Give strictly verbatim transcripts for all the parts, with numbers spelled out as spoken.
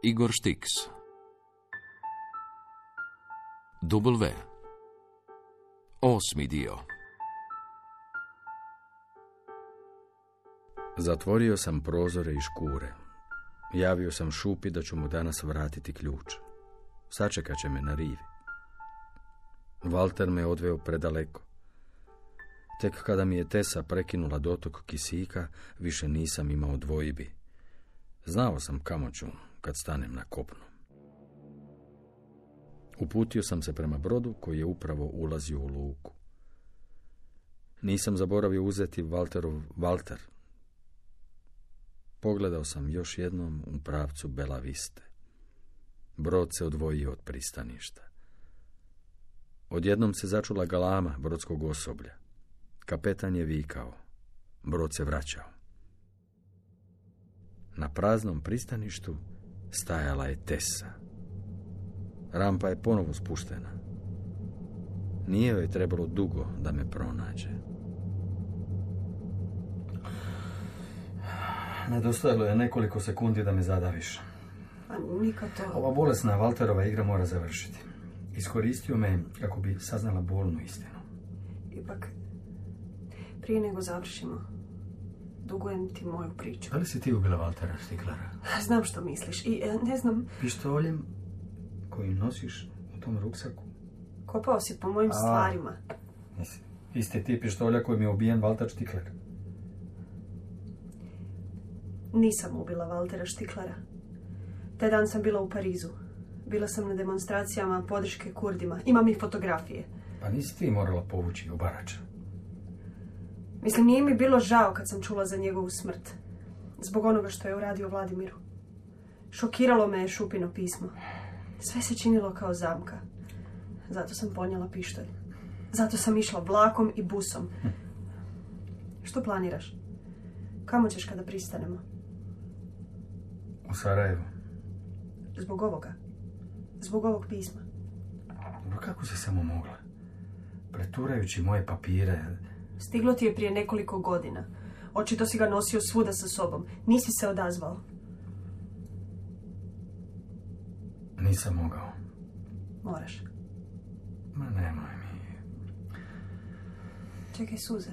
Igor Štiks. W. Osmi dio. Zatvorio sam prozore i škure. Javio sam Šupi da ću mu danas vratiti ključ. Sačekat će me na rivi. Valter me odveo predaleko. Tek kada mi je Tesa prekinula dotok kisika, više nisam imao dvojbi. Znao sam kamo ću kad stanem na kopnu. Uputio sam se prema brodu koji je upravo ulazio u luku. Nisam zaboravio uzeti Valterov Valter. Pogledao sam još jednom u pravcu Bela Viste. Brod se odvojio od pristaništa. Odjednom se začula galama brodskog osoblja. Kapetan je vikao. Brod se vraćao. Na praznom pristaništu stajala je Tesa. Rampa je ponovo spuštena. Nije joj trebalo dugo da me pronađe. Nedostajalo je nekoliko sekundi da me zadaviš. Pa nikad to... Ova bolesna Valterova igra mora završiti. Iskoristio me kako bi saznala bolnu istinu. Ipak, prije nego završimo, dugujem ti moju priču. Da li si ti ubila Valtera Štiklera? Znam što misliš i ne znam... Pištoljem koji nosiš u tom ruksaku? Kopao si po mojim A, stvarima. Nisi. Isti ti pištolja kojim je ubijen Valter Štikler. Nisam ubila Valtera Štiklera. Taj dan sam bila u Parizu. Bila sam na demonstracijama podrške Kurdima. Imam i fotografije. Pa nisi ti morala povući u Barača? Mislim, nije mi bilo žao kad sam čula za njegovu smrt. Zbog onoga što je uradio Vladimiru. Šokiralo me je Šupino pismo. Sve se činilo kao zamka. Zato sam ponijela pištolj. Zato sam išla vlakom i busom. Hm. Što planiraš? Kamo ćeš kada pristanemo? U Sarajevo. Zbog ovoga? Zbog ovog pisma? Dobro, kako si samo mogla? Preturajući moje papire... Stiglo ti je prije nekoliko godina. Očito si ga nosio svuda sa sobom. Nisi se odazvao. Nisam mogao. Moraš. Ma nemoj mi. Čekaj suze.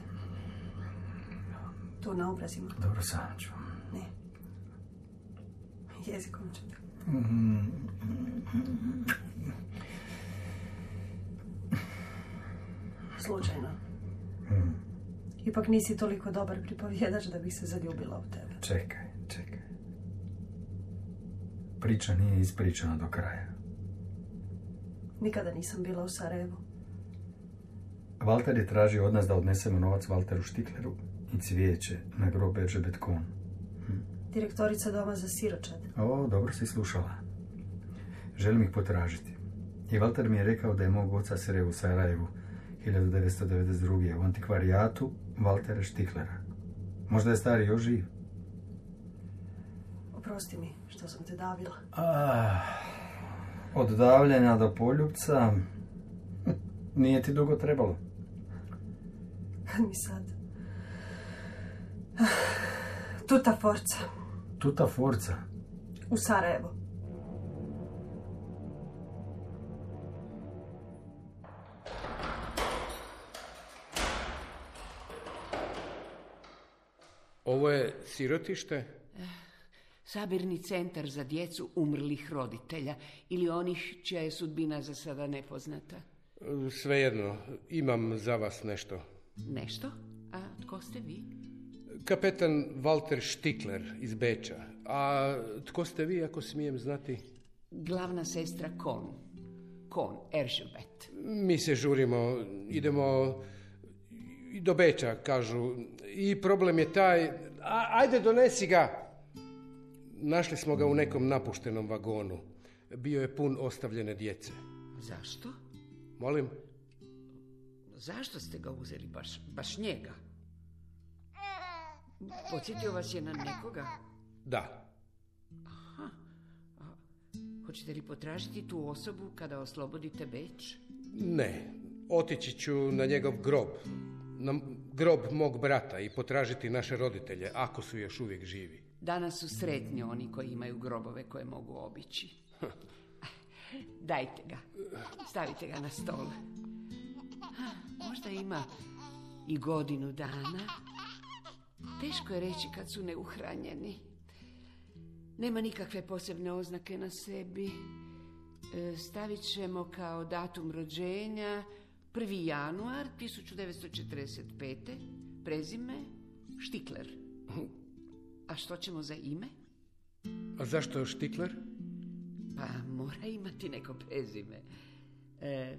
Tu na obrazima. Dobro, sam ću. Ne. Jezikom ću te. Slučajno. Mm. Ipak nisi toliko dobar pripovjedač da bih se zaljubila u tebe. Čekaj, čekaj. Priča nije ispričana do kraja. Nikada nisam bila u Sarajevu. Valter je tražio od nas da odnesemo novac Valteru Štikleru i cvijeće na grob Erže Betkon. Hm. Direktorica doma za siročad. O, dobro si slušala. Želim ih potražiti. I Valter mi je rekao da je mog oca sreo u Sarajevu hiljadu devetsto devedeset druge. u antikvarijatu Valtera Štiklera. Možda je stari još živ. Oprosti mi što sam te davila. Ah, od davljenja do poljupca nije ti dugo trebalo. Kad mi sad... Tuta forca. Tuta forca? U Sarajevo. Ovo je sirotište? Sabirni centar za djecu umrlih roditelja ili onih čija je sudbina za sada nepoznata. Svejedno, imam za vas nešto. Nešto? A tko ste vi? Kapetan Valter Štikler iz Beča. A tko ste vi, ako smijem znati? Glavna sestra Kon. Kon, Eržbet. Mi se žurimo, idemo do Beča, kažu. I problem je taj... A, ajde, donesi ga! Našli smo ga u nekom napuštenom vagonu. Bio je pun ostavljene djece. Zašto? Molim? Zašto ste ga uzeli, baš, baš njega? Podsjetio vas je na nekoga? Da. Aha. A, hoćete li potražiti tu osobu kada oslobodite Beč? Ne. Otići ću na njegov grob. na grob mog brata i potražiti naše roditelje, ako su još uvijek živi. Danas su sretni oni koji imaju grobove koje mogu obići. Dajte ga. Stavite ga na stol. Možda ima i godinu dana. Teško je reći kad su neuhranjeni. Nema nikakve posebne oznake na sebi. Stavit ćemo kao datum rođenja prvi januar tisuću devetsto četrdeset pete. Prezime Štikler. A što ćemo za ime? A zašto Štikler? Pa mora imati neko prezime. E,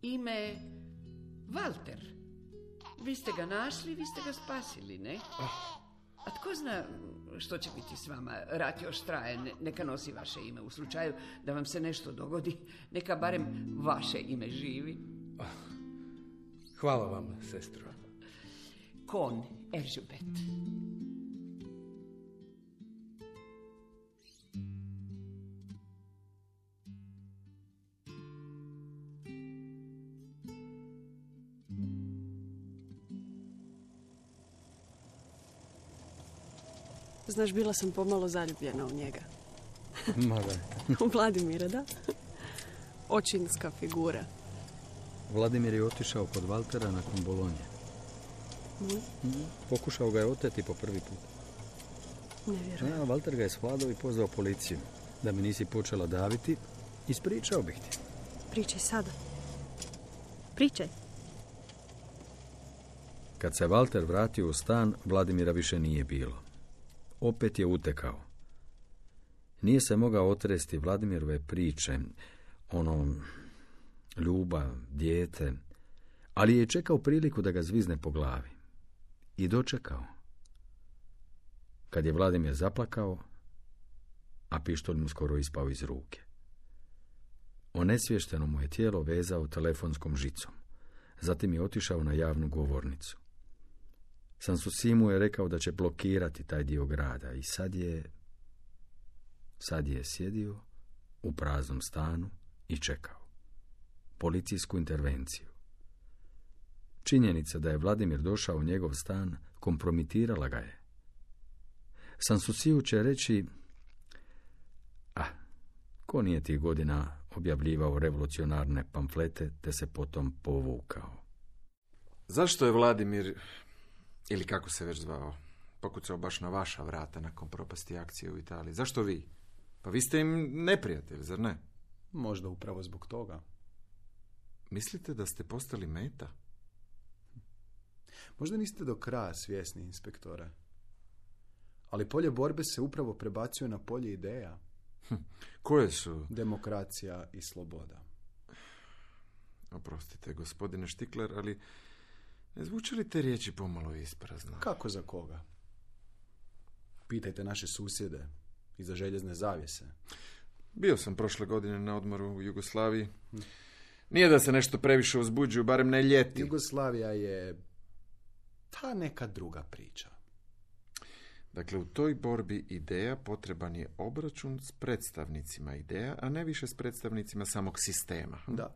ime Valter. Vi ste ga našli, vi ste ga spasili, ne? A tko zna što će biti s vama? Rat još traje, ne, neka nosi vaše ime. U slučaju da vam se nešto dogodi, neka barem vaše ime živi. Hvala vam, sestro. Kon Eržubet. Znaš, bila sam pomalo zaljubljena u njega. Ma da. U Vladimira, da? Očinska figura. Vladimir je otišao kod Valtera nakon Bolonje. Mm. Mm. Pokušao ga je oteti po prvi put. Ne vjerujem. Ja, Valter ga je svladao i pozvao policiju. Da mi nisi počela daviti, ispričao bih ti. Pričaj sada. Pričaj. Kad se Valter vratio u stan, Vladimira više nije bilo. Opet je utekao. Nije se mogao otresti Vladimirove priče, ono, ljubav, dijete, ali je čekao priliku da ga zvizne po glavi. I dočekao. Kad je Vladimir zaplakao, a pištolj mu skoro ispao iz ruke. Onesvješteno mu je tijelo vezao telefonskom žicom. Zatim je otišao na javnu govornicu. Sansusi mu je rekao da će blokirati taj dio grada i sad je... Sad je sjedio u praznom stanu i čekao. Policijsku intervenciju. Činjenica da je Vladimir došao u njegov stan kompromitirala ga je. Sansusiju će reći... Ah, ko nije tih godina objavljivao revolucionarne pamflete te se potom povukao? Zašto je Vladimir... ili kako se već zvao, pokucao baš na vaša vrata nakon propasti akcije u Italiji? Zašto vi? Pa vi ste im neprijatelj, zar ne? Možda upravo zbog toga. Mislite da ste postali meta? Možda niste do kraja svjesni, inspektore. Ali polje borbe se upravo prebacuje na polje ideja. Hm. Koje su? Demokracija i sloboda. Oprostite, gospodine Štikler, ali... ne zvuče li te riječi pomalo isprazno? Kako za koga? Pitajte naše susjede iza željezne zavjese. Bio sam prošle godine na odmoru u Jugoslaviji. Nije da se nešto previše uzbuđuju, barem ne ljeti. Jugoslavija je ta neka druga priča. Dakle, u toj borbi ideja potreban je obračun s predstavnicima ideja, a ne više s predstavnicima samog sistema. Da.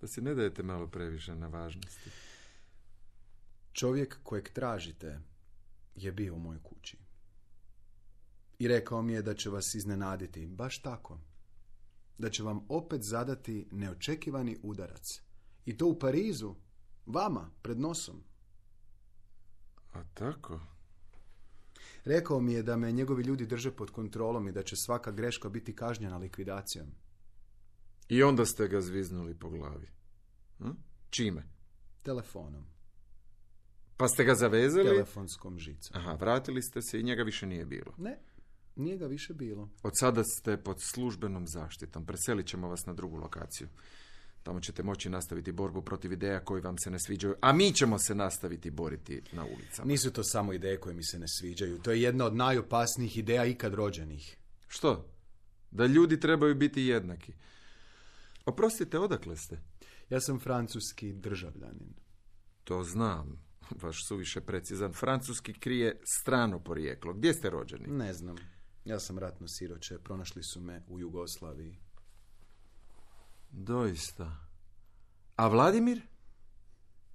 Da si ne dajete malo previše na važnosti. Čovjek kojeg tražite je bio u mojoj kući. I rekao mi je da će vas iznenaditi, baš tako. Da će vam opet zadati neočekivani udarac. I to u Parizu, vama, pred nosom. A tako? Rekao mi je da me njegovi ljudi drže pod kontrolom i da će svaka greška biti kažnjena likvidacijom. I onda ste ga zviznuli po glavi. Hm? Čime? Telefonom. Pa ste ga zavezali? Telefonskom žicom. Aha, vratili ste se i njega više nije bilo. Ne, nije ga više bilo. Od sada ste pod službenom zaštitom. Preselit ćemo vas na drugu lokaciju. Tamo ćete moći nastaviti borbu protiv ideja koji vam se ne sviđaju, a mi ćemo se nastaviti boriti na ulicama. Nisu to samo ideje koje mi se ne sviđaju. To je jedna od najopasnijih ideja ikad rođenih. Što? Da ljudi trebaju biti jednaki. Oprostite, odakle ste? Ja sam francuski državljanin. To znam. Vaš suviše precizan. Francuski krije strano porijeklo. Gdje ste rođeni? Ne znam. Ja sam ratno siroče. Pronašli su me u Jugoslaviji. Doista. A Vladimir?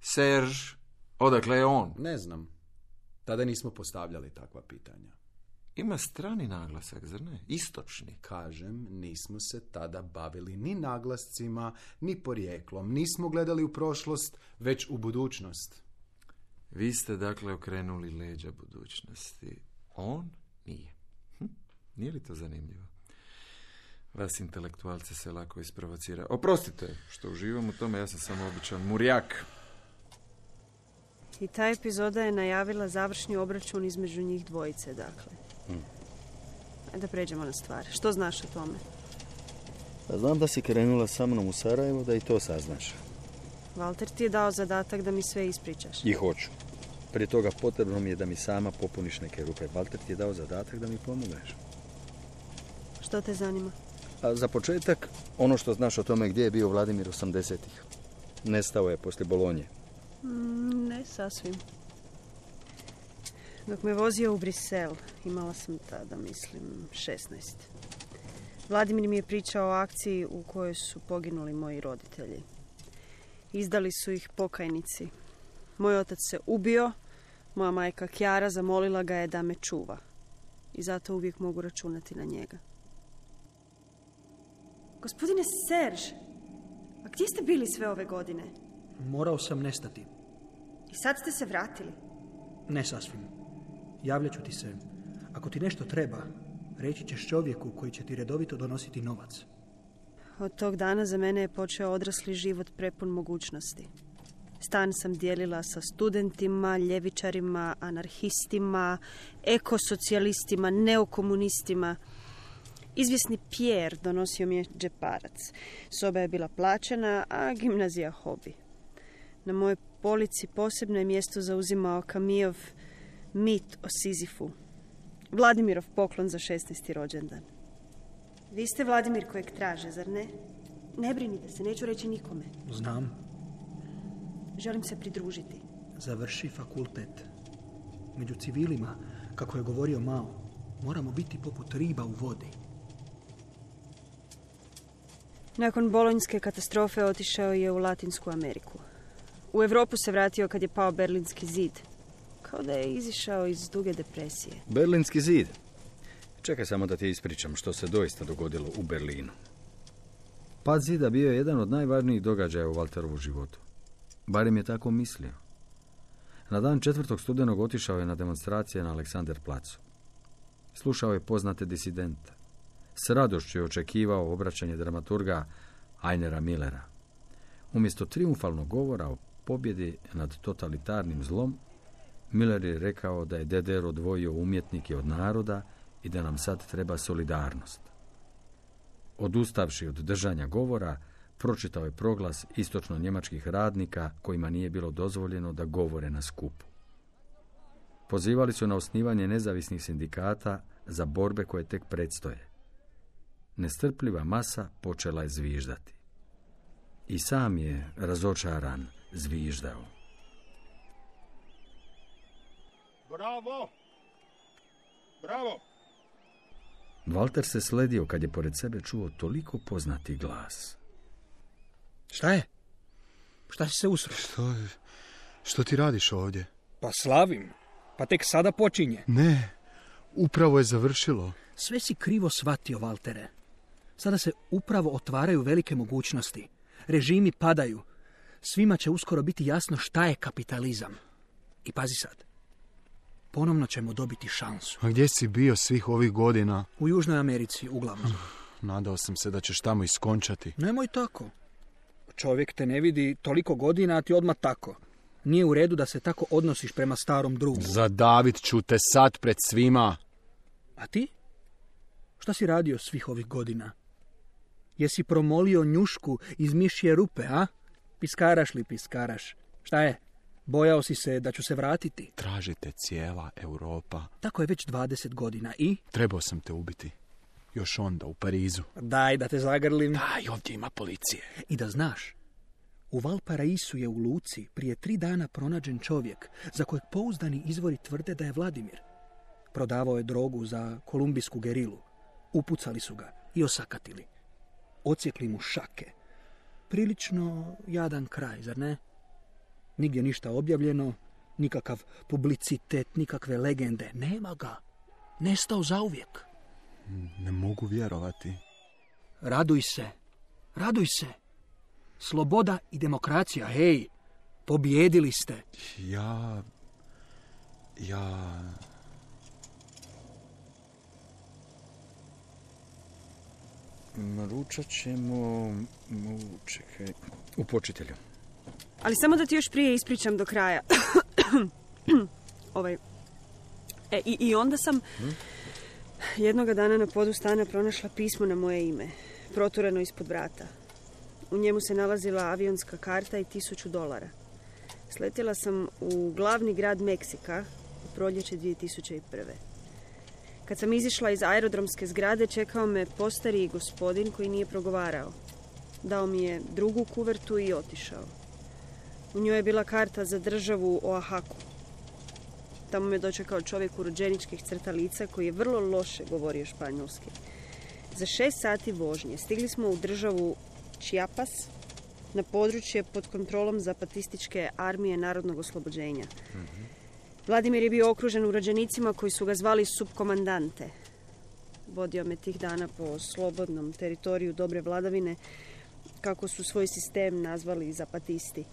Serge, odakle je on? Ne znam. Tada nismo postavljali takva pitanja. Ima strani naglasak, zar ne? Istočni. Kažem, nismo se tada bavili ni naglascima, ni porijeklom. Nismo gledali u prošlost, već u budućnost. Vi ste dakle okrenuli leđa budućnosti. On nije. Hm? Nije li to zanimljivo? Vas intelektualce se lako isprovocira. Oprostite što uživam u tome, ja sam samo običan murjak. I ta epizoda je najavila završni obračun između njih dvojice, dakle. Hmm. Ajde da pređemo na stvar. Što znaš o tome? Pa znam da si krenula sa mnom u Sarajevo, da i to saznaš. Valter ti je dao zadatak da mi sve ispričaš. I hoću. Prije toga potrebno mi je da mi sama popuniš neke rupe. Valter ti je dao zadatak da mi pomogneš. Što te zanima? A za početak, ono što znaš o tome gdje je bio Vladimir osamdesetih. Nestao je poslije Bolonje. Mm, ne sasvim. Dok me vozio u Brisel, imala sam tada, mislim, šesnaest. Vladimir mi je pričao o akciji u kojoj su poginuli moji roditelji. Izdali su ih pokajnici. Moj otac se ubio, moja majka Kjara zamolila ga je da me čuva. I zato uvijek mogu računati na njega. Gospodine Serge, a gdje ste bili sve ove godine? Morao sam nestati. I sad ste se vratili? Ne sasvim. Javljat ću ti se. Ako ti nešto treba, reći ćeš čovjeku koji će ti redovito donositi novac. Od tog dana za mene je počeo odrasli život prepun mogućnosti. Stan sam dijelila sa studentima, ljevičarima, anarhistima, ekosocijalistima, neokomunistima. Izvjesni Pierre donosio mi je džeparac. Soba je bila plaćena, a gimnazija hobi. Na mojoj polici posebno je mjesto zauzimao Kamijov mit o Sizifu. Vladimirov poklon za šesnaesti rođendan. Vi ste Vladimir kojeg traže, zar ne? Ne brinite se, neću reći nikome. Znam. Želim se pridružiti. Završi fakultet. Među civilima, kako je govorio Mao, moramo biti poput riba u vodi. Nakon bolonjske katastrofe otišao je u Latinsku Ameriku. U Europu se vratio kad je pao Berlinski zid. Kao da je izišao iz duge depresije. Berlinski zid? Čekaj samo da ti ispričam što se doista dogodilo u Berlinu. Pad zida bio je jedan od najvažnijih događaja u Valterovu životu. Barem je tako mislio. Na dan četvrtog studenog otišao je na demonstracije na Aleksander placu. Slušao je poznate disidente. S radošću je očekivao obraćanje dramaturga Einera Millera. Umjesto triumfalnog govora o pobjedi nad totalitarnim zlom, Miller je rekao da je D D R odvojio umjetnike od naroda i da nam sad treba solidarnost. Odustavši od držanja govora, pročitao je proglas istočno-njemačkih radnika kojima nije bilo dozvoljeno da govore na skupu. Pozivali su na osnivanje nezavisnih sindikata za borbe koje tek predstoje. Nestrpljiva masa počela je zviždati. I sam je, razočaran, zviždao. Bravo! Bravo! Valter se sledio kad je pored sebe čuo toliko poznati glas. Šta je? Šta si se usro? Što, što ti radiš ovdje? Pa slavim. Pa tek sada počinje. Ne, upravo je završilo. Sve si krivo shvatio, Valtere. Sada se upravo otvaraju velike mogućnosti. Režimi padaju. Svima će uskoro biti jasno šta je kapitalizam. I pazi sad. Ponovno ćemo dobiti šansu. A gdje si bio svih ovih godina? U Južnoj Americi, uglavnom. Nadao sam se da ćeš tamo iskončati. Nemoj tako. Čovjek te ne vidi toliko godina, a ti odmah tako. Nije u redu da se tako odnosiš prema starom drugu. Zadavit ću te sad pred svima. A ti? Šta si radio svih ovih godina? Jesi promolio njušku iz mišje rupe, a? Piskaraš li piskaraš? Šta je? Bojao si se da ću se vratiti? Tražite cijela Europa. Tako je već dvadeset godina i? Trebao sam te ubiti. Još onda u Parizu. Daj da te zagrlim. Daj, ovdje ima policije. I da znaš, u Valparaisu je u luci prije tri dana pronađen čovjek za kojeg pouzdani izvori tvrde da je Vladimir. Prodavao je drogu za kolumbijsku gerilu. Upucali su ga i osakatili. Ocijekli mu šake. Prilično jadan kraj, zar ne? Nigdje ništa objavljeno, nikakav publicitet, nikakve legende. Nema ga. Nestao zauvijek. Ne mogu vjerovati. Raduj se. Raduj se. Sloboda i demokracija, hej. Pobjedili ste. Ja... Ja... Ručat ćemo... Čekaj... U počitelju. Ali samo da ti još prije ispričam do kraja. ovaj... E, i, I onda sam hm? jednoga dana na podu stana pronašla pismo na moje ime. Protureno ispod vrata. U njemu se nalazila avionska karta i tisuću dolara. Sletjela sam u glavni grad Meksika u proljeće dvije tisuće prve. Kad sam izišla iz aerodromske zgrade, čekao me postariji gospodin koji nije progovarao. Dao mi je drugu kuvertu i otišao. U njoj je bila karta za državu Oahaku. Tamo me dočekao čovjek urođeničkih crta lica koji je vrlo loše govorio španjolski. Za šest sati vožnje stigli smo u državu Chiapas, na područje pod kontrolom zapatističke armije narodnog oslobođenja. Mm-hmm. Vladimir je bio okružen urođenicima koji su ga zvali subkomandante. Vodio me tih dana po slobodnom teritoriju dobre vladavine, kako su svoj sistem nazvali zapatisti.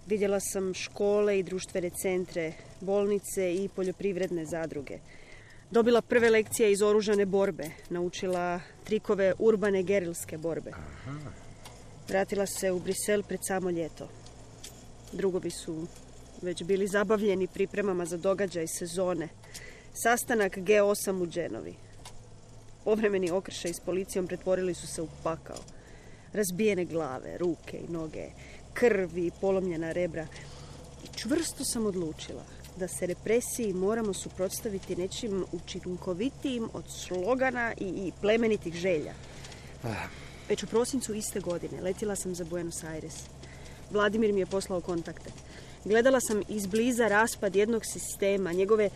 Vidjela sam škole i društvene centre, bolnice i poljoprivredne zadruge. Dobila prve lekcije iz oružane borbe, naučila trikove urbane gerilske borbe. Aha. Vratila se u Brisel pred samo ljeto. Drugovi su već bili zabavljeni pripremama za događaj sezone. Sastanak G osam u Dženovi. Povremeni okršaj s policijom pretvorili su se u pakao. Razbijene glave, ruke i noge, krv i polomljena rebra. I čvrsto sam odlučila da se represiji moramo suprotstaviti nečim učinkovitijim od slogana i, i plemenitih želja. Već u prosincu iste godine letjela sam za Buenos Aires. Vladimir mi je poslao kontakte. Gledala sam izbliza raspad jednog sistema, njegove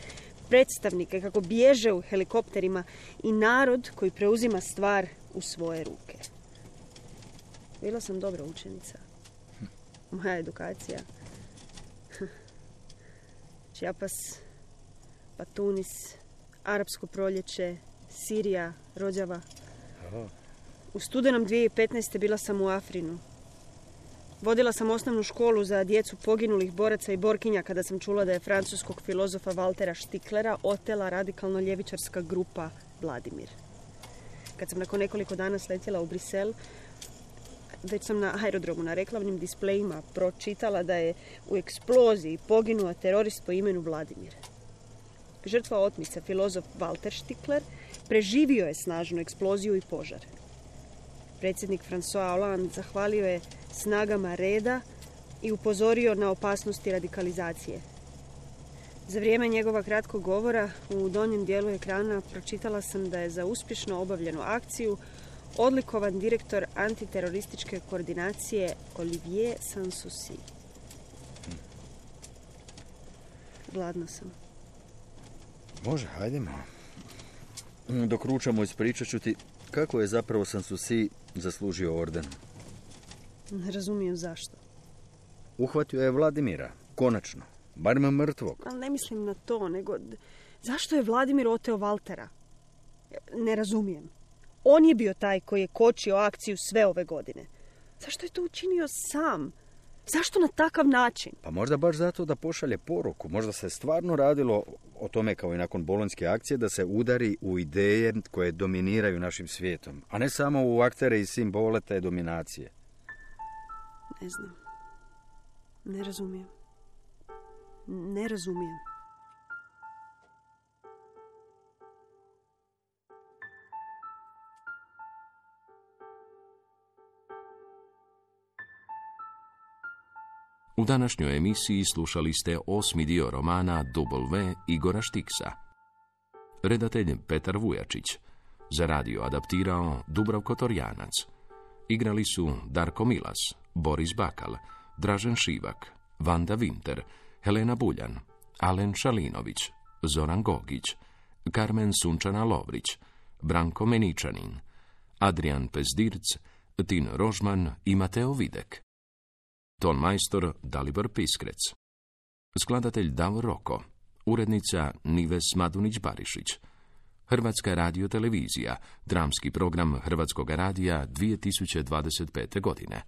predstavnike kako bježe u helikopterima i narod koji preuzima stvar u svoje ruke. Bila sam dobra učenica. Moja edukacija. Chiapas, pa Tunis, Arapsko proljeće, Sirija, Rođava. U studenom dvije tisuće petnaeste. bila sam u Afrinu. Vodila sam osnovnu školu za djecu poginulih boraca i borkinja kada sam čula da je francuskog filozofa Valtera Štiklera otela radikalno ljevičarska grupa Vladimir. Kad sam nakon nekoliko dana sletjela u Brisel, već sam na aerodromu na reklamnim displejima pročitala da je u eksploziji poginuo terorist po imenu Vladimir. Žrtva otmice, filozof Walter Stikler, preživio je snažnu eksploziju i požar. Predsjednik François Hollande zahvalio je snagama reda i upozorio na opasnosti radikalizacije. Za vrijeme njegova kratkog govora u donjem dijelu ekrana pročitala sam da je za uspješno obavljenu akciju odlikovan direktor antiterorističke koordinacije Olivier Sanssouci. Gladna sam. Može, hajdemo. Dok ručamo, ispričat ću ti kako je zapravo Sanssouci zaslužio orden. Ne razumijem zašto. Uhvatio je Vladimira, konačno, barem mrtvog. Ali ne mislim na to, nego zašto je Vladimir oteo Valtera? Ne razumijem. On je bio taj koji je kočio akciju sve ove godine. Zašto je to učinio sam? Zašto na takav način? Pa možda baš zato da pošalje poruku. Možda se stvarno radilo o tome kao i nakon bolonjske akcije da se udari u ideje koje dominiraju našim svijetom, a ne samo u aktere i simbole te dominacije. Ne znam. Ne razumijem. Ne razumijem. U današnjoj emisiji slušali ste osmi dio romana W Igora Štiksa. Redatelj Petar Vujačić. Za radio adaptirao Dubravko Torjanac. Igrali su Darko Milas, Boris Bakal, Dražen Šivak, Vanda Winter, Helena Buljan, Alen Šalinović, Zoran Gogić, Karmen Sunčana Lovrić, Branko Meničanin, Adrian Pezdirc, Tin Rožman i Mateo Videk. ton majstor Dalibor Piskrec, skladatelj Davor Roko, urednica Nives Madunić-Barišić, Hrvatska radiotelevizija, dramski program Hrvatskog radija dvije tisuće dvadeset pete godine.